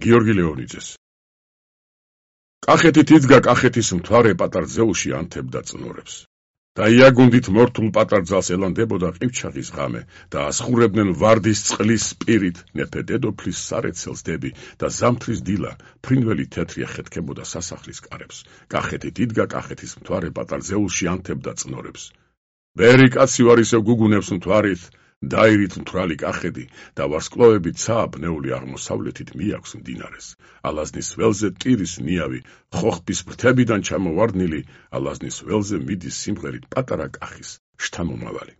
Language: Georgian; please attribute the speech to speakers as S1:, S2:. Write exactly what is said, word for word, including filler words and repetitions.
S1: გიორგი ლეონიძეს. კახეთით იდგა კახეთის მთვარე პატარ ძეულში ანთებდა წნორებს. და იაგუნდით მორთულ პატარ ძალს ელანდებოდა ყივჩაღის ღამე და ასხურებდნენ ვარდის წყლის სპირით მეფე დედოფლის სარეცელს დები და ზამთრის დილა ფრინველი თეთრი ეხეთქებოდა სასახლის კარებს. კახეთით იდგა კახეთის მთვარე პატარ ძეულში ანთებდა წნორებს. ვერი კაცი ვარ ისევ გუგუნებს მთვარით, დაირით მთვრალი კახეთი და ვარსკვლავები ცააბნეული აღმოსავლეთით მიაქვს მდინარეს. ალაზნის ველზე ტირის ნიავი, ხოხბის ფრთებიდან ჩამოვარდნილი, ალაზნის ველზე მიდის სიმღერით პატარა კახის შთამომავალი.